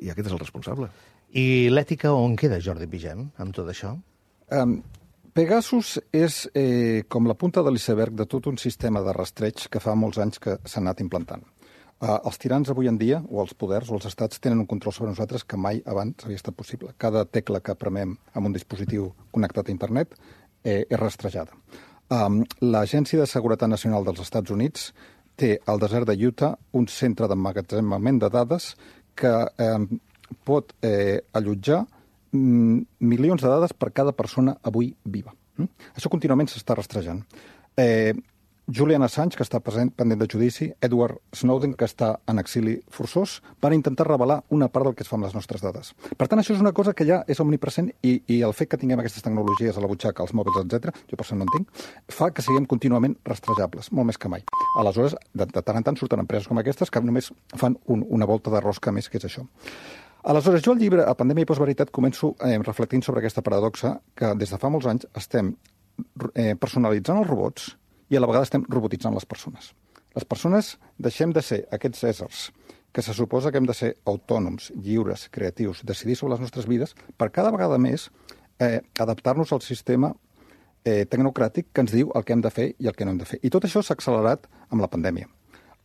i aquest és el responsable. I l'ètica on queda, Jordi Pigem, amb tot això? Pegasus és com la punta de l'iceberg de tot un sistema de rastreig que fa molts anys que s'ha anat implantant. Els tirans avui en dia, o els poders, o els estats, tenen un control sobre nosaltres que mai abans havia estat possible. Cada tecla que premem amb un dispositiu connectat a internet és rastrejada. L'Agència de Seguretat Nacional dels Estats Units té al desert de Utah un centre d'emmagatzemament de dades que pot allotjar milions de dades per cada persona avui viva. Això contínuament s'està rastrejant. Julian Assange, que està pendent de judici, Edward Snowden, que està en exili forçós, van intentar revelar una part del que es fa amb les nostres dades. Per tant, això és una cosa que ja és omnipresent i el fet que tinguem aquestes tecnologies a la butxaca, als mòbils, etc., jo per això no en tinc, fa que siguem contínuament rastrejables, molt més que mai. Aleshores, de tant en tant surten empreses com aquestes que només fan una volta de rosca més, que és això. Aleshores, jo al llibre A Pandèmia i Postveritat començo reflectint sobre aquesta paradoxa que des de fa molts anys estem personalitzant els robots i a la vegada estem robotitzant les persones. Les persones deixem de ser aquests éssers que se suposa que hem de ser autònoms, lliures, creatius, decidir sobre les nostres vides, per cada vegada més adaptar-nos al sistema tecnocràtic que ens diu el que hem de fer i el que no hem de fer. I tot això s'ha accelerat amb la pandèmia.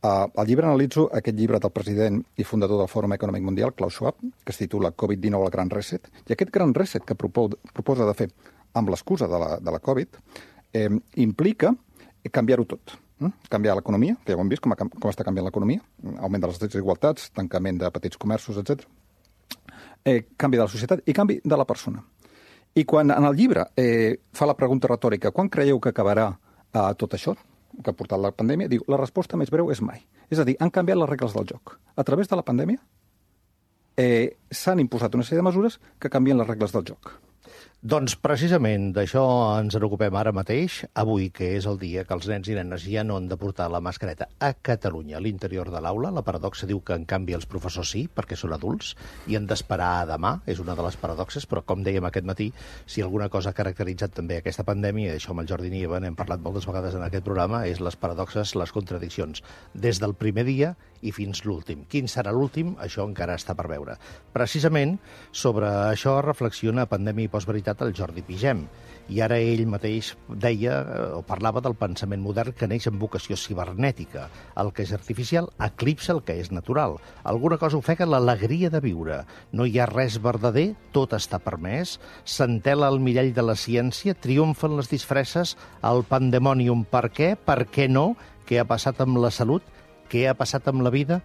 Al llibre analitzo aquest llibre del president i fundador del Fòrum Econòmic Mundial, Klaus Schwab, que es titula Covid-19, el Gran Reset, i aquest Gran Reset que proposa de fer amb l'excusa de la Covid implica canviar-ho tot. Canviar l'economia, que ja ho hem vist, com està canviant l'economia, augment de les desigualtats, tancament de petits comerços, etc. Canvi de la societat i canvi de la persona. I quan en el llibre fa la pregunta retòrica, quan creieu que acabarà tot això que ha portat la pandèmia, diu, la resposta més breu és mai. És a dir, han canviat les regles del joc. A través de la pandèmia s'han imposat una sèrie de mesures que canvien les regles del joc. Doncs precisament d'això ens en ocupem ara mateix, avui, que és el dia que els nens i nenes ja no han de portar la mascareta a Catalunya, a l'interior de l'aula. La paradoxa diu que, en canvi, els professors sí, perquè són adults, i han d'esperar a demà, és una de les paradoxes, però, com dèiem aquest matí, si alguna cosa ha caracteritzat també aquesta pandèmia, i això amb el Jordi Nieva n'hem parlat moltes vegades en aquest programa, és les paradoxes, les contradiccions, des del primer dia i fins l'últim. Quin serà l'últim? Això encara està per veure. Precisament sobre això reflexiona a Pandèmia i Postveritat el Jordi Pigem. I ara ell mateix deia o parlava del pensament modern que neix amb vocació cibernètica. El que és artificial eclipsa el que és natural. Alguna cosa ofega l'alegria de viure. No hi ha res verdader, tot està permès. S'entela el mirall de la ciència, triomfen les disfresses, el pandemònium. Per què? Per què no? Què ha passat amb la salut? Què ha passat amb la vida?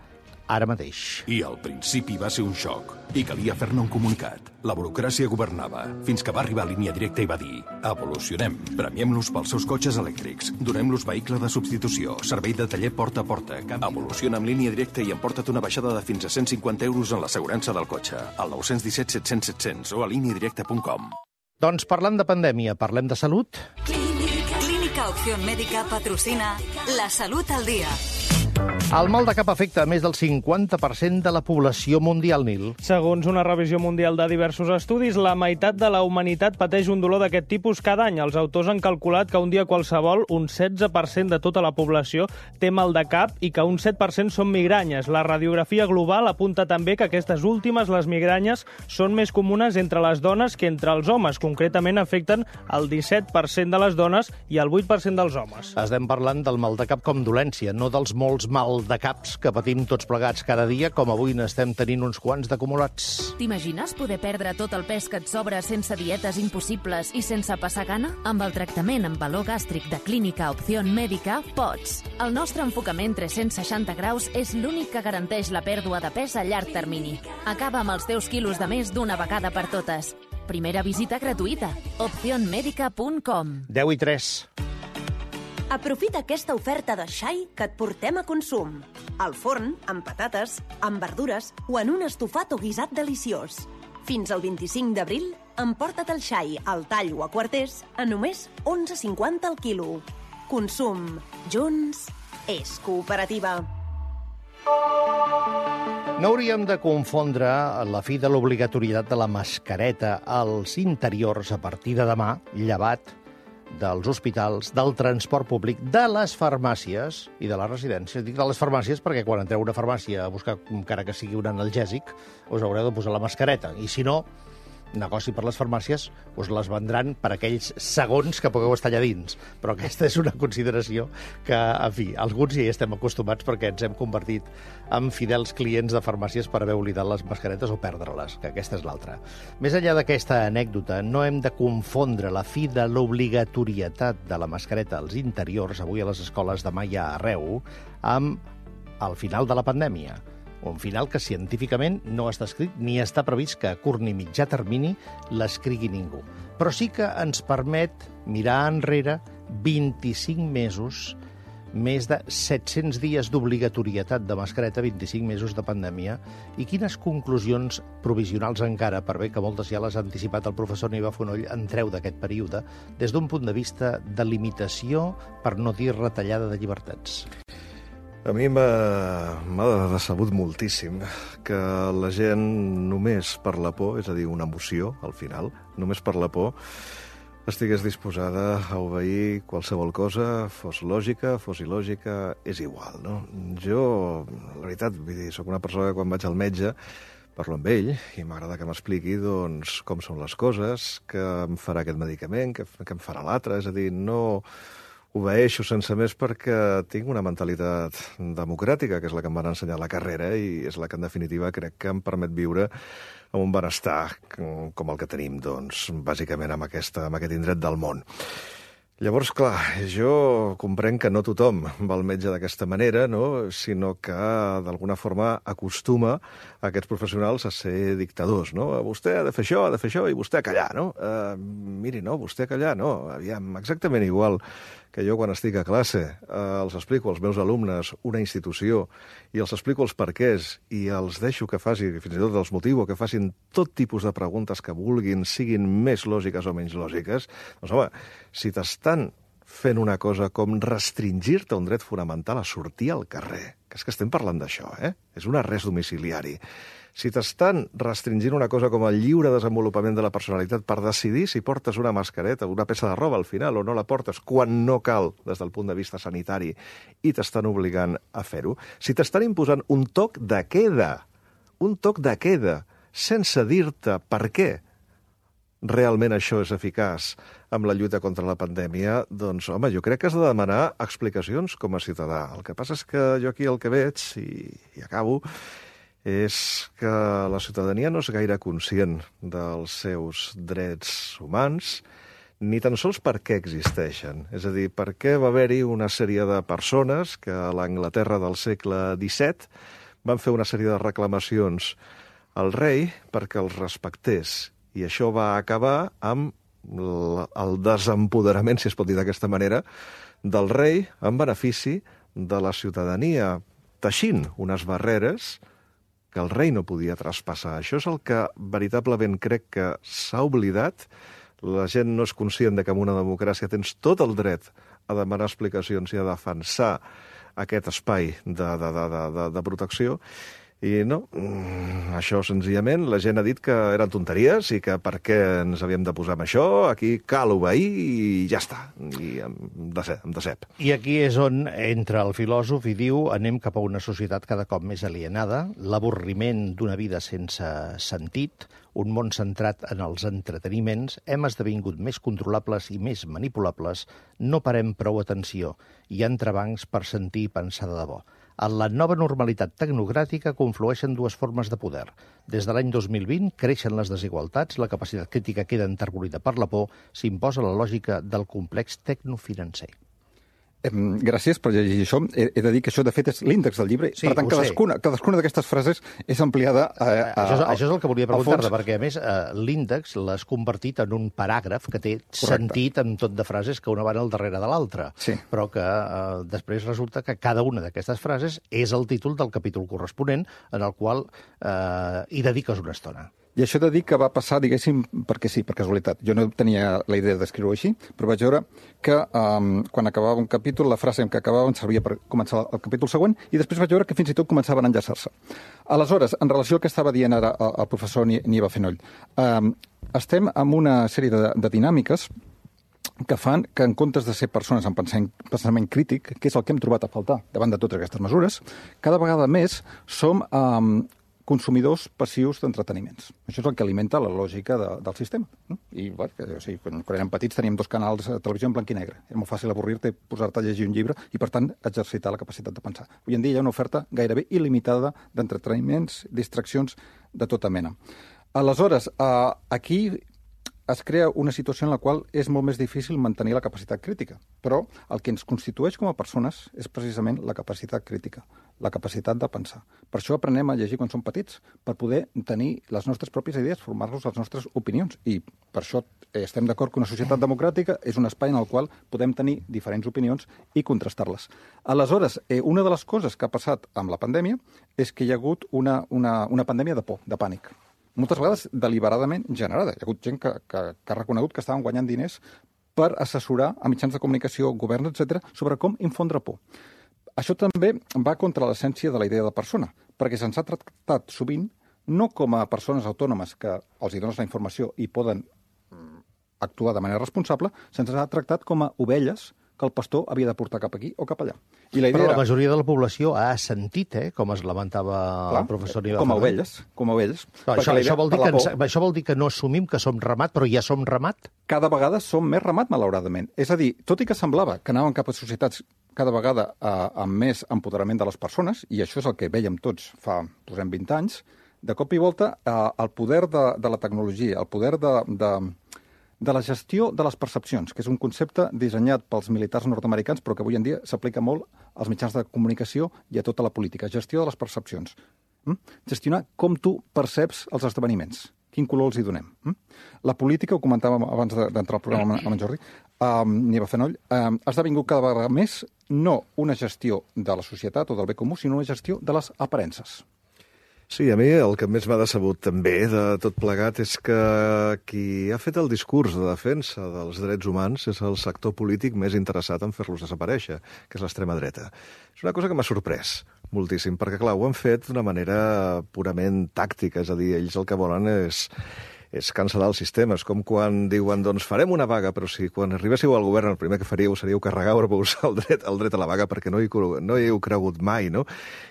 Ara mateix. I al principi va ser un xoc, i calia fer-ne un comunicat. La burocràcia governava, fins que va arribar a Línia Directa i va dir: evolucionem, premiem-los pels seus cotxes elèctrics, donem-los vehicle de substitució, servei de taller porta a porta. Evoluciona amb Línia Directa i emporta't una baixada de fins a 150 euros en l'assegurança del cotxe, al 917 700 700 o a lineadirecta.com. Doncs parlant de pandèmia, parlem de salut? Clínica Opción Médica patrocina La Salut al Dia. El mal de cap afecta a més del 50% de la població mundial, Nil. Segons una revisió mundial de diversos estudis, la meitat de la humanitat pateix un dolor d'aquest tipus cada any. Els autors han calculat que un dia qualsevol, un 16% de tota la població té mal de cap i que un 7% són migranyes. La radiografia global apunta també que aquestes últimes, les migranyes, són més comunes entre les dones que entre els homes. Concretament afecten el 17% de les dones i el 8% dels homes. Estem parlant del mal de cap com dolència, no dels molts mal de caps que patim tots plegats cada dia, com avui n'estem tenint uns quants d'acumulats. T'imagines poder perdre tot el pes que et sobra sense dietes impossibles i sense passar gana? Amb el tractament amb valor gàstric de Clínica Opción Médica, pots. El nostre enfocament 360 graus és l'únic que garanteix la pèrdua de pes a llarg termini. Acaba amb els teus quilos de més d'una vegada per totes. Primera visita gratuïta. opcionmedica.com. 10:03. Aprofita aquesta oferta de xai que et portem a consum. Al forn, amb patates, amb verdures o en un estofat o guisat deliciós. Fins al 25 d'abril, emporta't el xai al tall o a quarters a només 11,50 al quilo. Consum. Junts és cooperativa. No hauríem de confondre la fi de l'obligatorietat de la mascareta als interiors a partir de demà, llevat dels hospitals, del transport públic, de les farmàcies i de les residències. Dic de les farmàcies perquè quan entreu a una farmàcia a buscar, encara que sigui un analgèsic, us haureu de posar la mascareta. I si no, negoci per les farmàcies, us les vendran per aquells segons que pugueu estar allà dins. Però aquesta és una consideració que, en fi, alguns ja hi estem acostumats perquè ens hem convertit en fidels clients de farmàcies per haver oblidat les mascaretes o perdre-les, que aquesta és l'altra. Més enllà d'aquesta anècdota, no hem de confondre la fi de l'obligatorietat de la mascareta als interiors, avui a les escoles, demà ja arreu, amb el final de la pandèmia. Un final que científicament no està escrit ni està previst que a curt ni mitjà termini l'escrigui ningú. Però sí que ens permet mirar enrere 25 mesos, més de 700 dies d'obligatorietat de mascareta, 25 mesos de pandèmia, i quines conclusions provisionals encara, per bé que moltes ja les ha anticipat el professor Niva Fonoll, en treu d'aquest període, des d'un punt de vista de limitació, per no dir retallada de llibertats? A mi m'ha decebut moltíssim que la gent només per la por, és a dir, una emoció al final, només per la por, estigués disposada a obeir qualsevol cosa, fos lògica, fos il·lògica, és igual, no? Jo, la veritat, vull dir, soc una persona que quan vaig al metge parlo amb ell i m'agrada que m'expliqui doncs, com són les coses, què em farà aquest medicament, què em farà l'altre, és a dir, no obeeixo sense més perquè tinc una mentalitat democràtica, que és la que em van ensenyar a la carrera i és la que, en definitiva, crec que em permet viure amb un benestar com el que tenim, doncs, bàsicament amb aquest indret del món. Llavors, clar, jo comprenc que no tothom va al metge d'aquesta manera, no? Sinó que, d'alguna forma, acostuma aquests professionals a ser dictadors, no? Vostè ha de fer això, i vostè a callar, no? Miri, no, vostè a callar, no. Aviam, exactament igual que jo quan estic a classe els explico als meus alumnes una institució i els explico els perquès i els deixo que facin, fins i tot els motivo, que facin tot tipus de preguntes que vulguin, siguin més lògiques o menys lògiques, doncs home, si t'estan fent una cosa com restringir-te un dret fonamental a sortir al carrer, que és que estem parlant d'això, és un arrest domiciliari. Si t'estan restringint una cosa com el lliure desenvolupament de la personalitat per decidir si portes una mascareta o una peça de roba al final o no la portes quan no cal des del punt de vista sanitari i t'estan obligant a fer-ho, si t'estan imposant un toc de queda, sense dir-te per què realment això és eficaç amb la lluita contra la pandèmia, doncs, home, jo crec que has de demanar explicacions com a ciutadà. El que passa és que jo aquí el que veig, i acabo, és que la ciutadania no és gaire conscient dels seus drets humans, ni tan sols per què existeixen. És a dir, per què va haver-hi una sèrie de persones que a l'Anglaterra del segle XVII van fer una sèrie de reclamacions al rei perquè els respectés. I això va acabar amb el desempoderament, si es pot dir d'aquesta manera, del rei en benefici de la ciutadania, teixint unes barreres que el rei no podia traspassar. Això és el que veritablement crec que s'ha oblidat. La gent no és conscient de que en una democràcia tens tot el dret a demanar explicacions i a defensar aquest espai de protecció. I no, això senzillament, la gent ha dit que eren tonteries i que per què ens havíem de posar amb això, aquí cal obeir i ja està, i em decep. I aquí és on entra el filòsof i diu anem cap a una societat cada cop més alienada, l'avorriment d'una vida sense sentit, un món centrat en els entreteniments, hem esdevingut més controlables i més manipulables, no parem prou atenció, hi ha entrebancs per sentir i pensar de debò. En la nova normalitat tecnocràtica conflueixen dues formes de poder. Des de l'any 2020 creixen les desigualtats, la capacitat crítica queda enterbolida per la por, s'imposa la lògica del complex tecnofinancer. Gràcies per llegir això. He de dir que això, de fet, és l'índex del llibre. Sí, per tant, cadascuna d'aquestes frases és ampliada Això és el que volia preguntar-te, perquè, a més, l'índex l'has convertit en un paràgraf que té sentit en tot de frases que una van al darrere de l'altra. Sí. Però que després resulta que cada una d'aquestes frases és el títol del capítol corresponent en el qual hi dediques una estona. I això he de dir que va passar, diguéssim, perquè sí, per casualitat. Jo no tenia la idea d'escriure-ho així, però vaig veure que quan acabava un capítol, la frase en què acabava em servia per començar el capítol següent, i després vaig veure que fins i tot començaven a enllaçar-se. Aleshores, en relació al que estava dient ara el professor Niva Fonoll, estem amb una sèrie de dinàmiques que fan que en comptes de ser persones amb pensament crític, que és el que hem trobat a faltar davant de totes aquestes mesures, cada vegada més som consumidors passius d'entreteniments. Això és el que alimenta la lògica del sistema. No? I bueno, quan érem petits teníem 2 canals de televisió en blanc i negre. Era molt fàcil avorrir-te, posar-te a llegir un llibre i, per tant, exercitar la capacitat de pensar. Avui en dia hi ha una oferta gairebé il·limitada d'entreteniments, distraccions de tota mena. Aleshores, aquí es crea una situació en la qual és molt més difícil mantenir la capacitat crítica. Però el que ens constitueix com a persones és precisament la capacitat crítica, la capacitat de pensar. Per això aprenem a llegir quan som petits, per poder tenir les nostres pròpies idees, formar-nos les nostres opinions. I per això estem d'acord que una societat democràtica és un espai en el qual podem tenir diferents opinions i contrastar-les. Aleshores, una de les coses que ha passat amb la pandèmia és que hi ha hagut una pandèmia de por, de pànic. Moltes vegades deliberadament generada. Hi ha hagut gent que ha reconegut que estaven guanyant diners per assessorar a mitjans de comunicació, governs, etc., sobre com infondre por. Això també va contra l'essència de la idea de persona, perquè se'ns ha tractat sovint no com a persones autònomes que els hi dones la informació i poden actuar de manera responsable, se'ns ha tractat com a ovelles que el pastor havia de portar cap aquí o cap allà. I la idea Però la majoria de la població ha assentit, com es lamentava el professor Niva. Com a ovelles. Però això vol dir que no assumim que som ramat, però ja som ramat? Cada vegada som més ramat, malauradament. És a dir, tot i que semblava que anàvem cap a societats cada vegada amb més empoderament de les persones, i això és el que vèiem tots fa, posem 20 anys, de cop i volta el poder de la tecnologia, el poder de la gestió de les percepcions, que és un concepte dissenyat pels militars nord-americans, però que avui en dia s'aplica molt als mitjans de comunicació i a tota la política. Gestió de les percepcions. Gestionar com tu perceps els esdeveniments. Quin color els hi donem. La política, ho comentàvem abans d'entrar al programa amb en Jordi, Niva Fenoll, ha esdevingut cada vegada més no una gestió de la societat o del bé comú, sinó una gestió de les aparences. Sí, a mi el que més m'ha decebut també de tot plegat és que qui ha fet el discurs de defensa dels drets humans és el sector polític més interessat en fer-los desaparèixer, que és l'extrema dreta. És una cosa que m'ha sorprès moltíssim, perquè, clar, ho han fet d'una manera purament tàctica, és a dir, ells el que volen és cancel·lar el sistema. És com quan diuen, doncs farem una vaga, però si quan arribéssiu al govern el primer que faríeu seríeu carregar-vos el dret a la vaga perquè no hi heu cregut mai, no?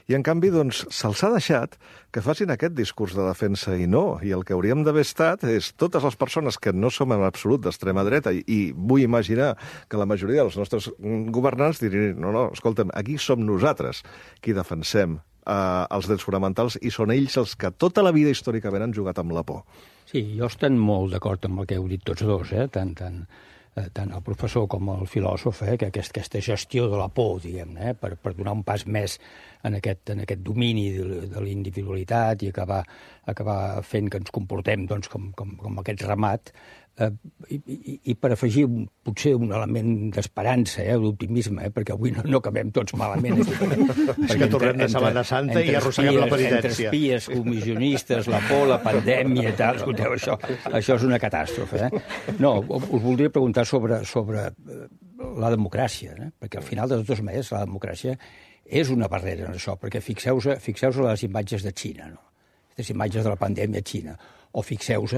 I en canvi, doncs, se'ls ha deixat que facin aquest discurs de defensa i no. I el que hauríem d'haver estat és totes les persones que no som en absolut d'extrema dreta, i vull imaginar que la majoria dels nostres governants dirien, no, escolta'm, aquí som nosaltres qui defensem els drets fonamentals i són ells els que tota la vida històricament han jugat amb la por. Sí, jo estic molt d'acord amb el que heu dit tots dos, tant el professor com el filòsof, que aquesta gestió de la por, diguem-ne, per donar un pas més en aquest domini de la individualitat i acabar fent que ens comportem doncs, com aquest ramat, i per afegir potser un element d'esperança, d'optimisme, perquè avui no acabem tots malament. És que tornem de Setmana Santa i arrosseguem la penitència. Entre espies, comissionistes, la por, la pandèmia i tal, escolteu, això és una catàstrofe. No, us voldria preguntar sobre la democràcia, perquè al final de totes maneres la democràcia és una barrera en això, perquè fixeu-vos a les imatges de Xina, no? Les imatges de la pandèmia a Xina, o fixeu-vos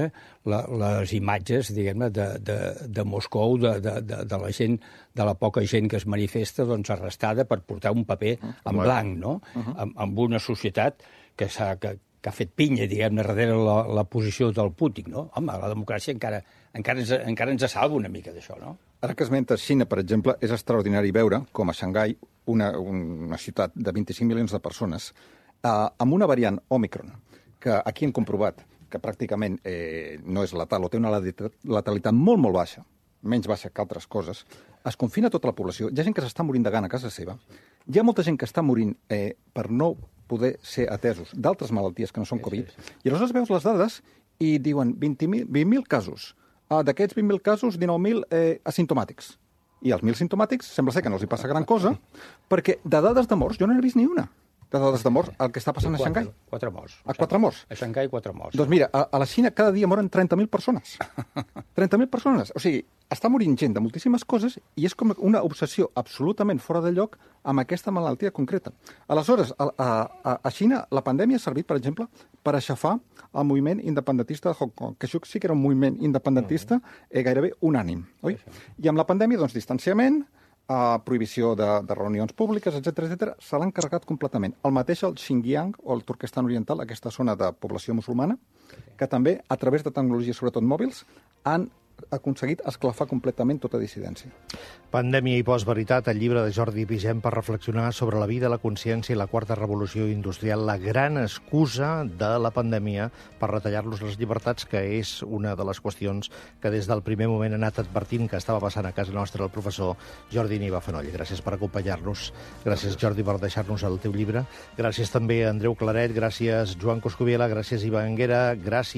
les imatges, diguem-ne, de Moscou, de la gent, de la poca gent que es manifesta, doncs, arrestada per portar un paper en blanc, no? Amb una societat que ha fet pinya, diguem-ne, darrere la posició del Putin, no? Home, la democràcia encara ens salva una mica d'això, no? Ara que esmentes Xina, per exemple, és extraordinari veure com a Xangai, una ciutat de 25 milions de persones, amb una variant Omicron, que aquí hem comprovat que pràcticament no és letal o té una letalitat molt, molt baixa, menys baixa que altres coses, es confina tota la població. Hi ha gent que s'està morint de gana a casa seva. Hi ha molta gent que està morint per no poder ser atesos d'altres malalties que no són Covid. I aleshores veus les dades i diuen 20.000 casos. D'aquests 20.000 casos, 19.000 asimptomàtics. I els 1.000 simptomàtics sembla ser que no els hi passa gran cosa, perquè de dades de morts jo no n'he vist ni una. de dades de morts, el que està passant a Xangai. 4 morts. A 4 morts? A Xangai, 4 morts. Doncs mira, a la Xina cada dia moren 30.000 persones. 30.000 persones. O sigui, està morint gent de moltíssimes coses i és com una obsessió absolutament fora de lloc amb aquesta malaltia concreta. Aleshores, a Xina la pandèmia ha servit, per exemple, per aixafar el moviment independentista de Hong Kong, que això sí que era un moviment independentista gairebé unànim, oi? I amb la pandèmia, doncs, distanciament, prohibició de reunions públiques, etc se l'han carregat completament. El mateix el Xinjiang o el Turquestan Oriental, aquesta zona de població musulmana, que també, a través de tecnologies, sobretot mòbils, han aconseguit esclafar completament tota dissidència. Pandèmia i postveritat, el llibre de Jordi Vigent per reflexionar sobre la vida, la consciència i la quarta revolució industrial, la gran excusa de la pandèmia per retallar-los les llibertats, que és una de les qüestions que des del primer moment ha anat advertint que estava passant a casa nostra el professor Jordi Niva Fenoll. Gràcies per acompanyar-nos. Gràcies, Jordi, per deixar-nos el teu llibre. Gràcies també a Andreu Claret, gràcies Joan Coscubiela, gràcies Iva Anguera, gràcies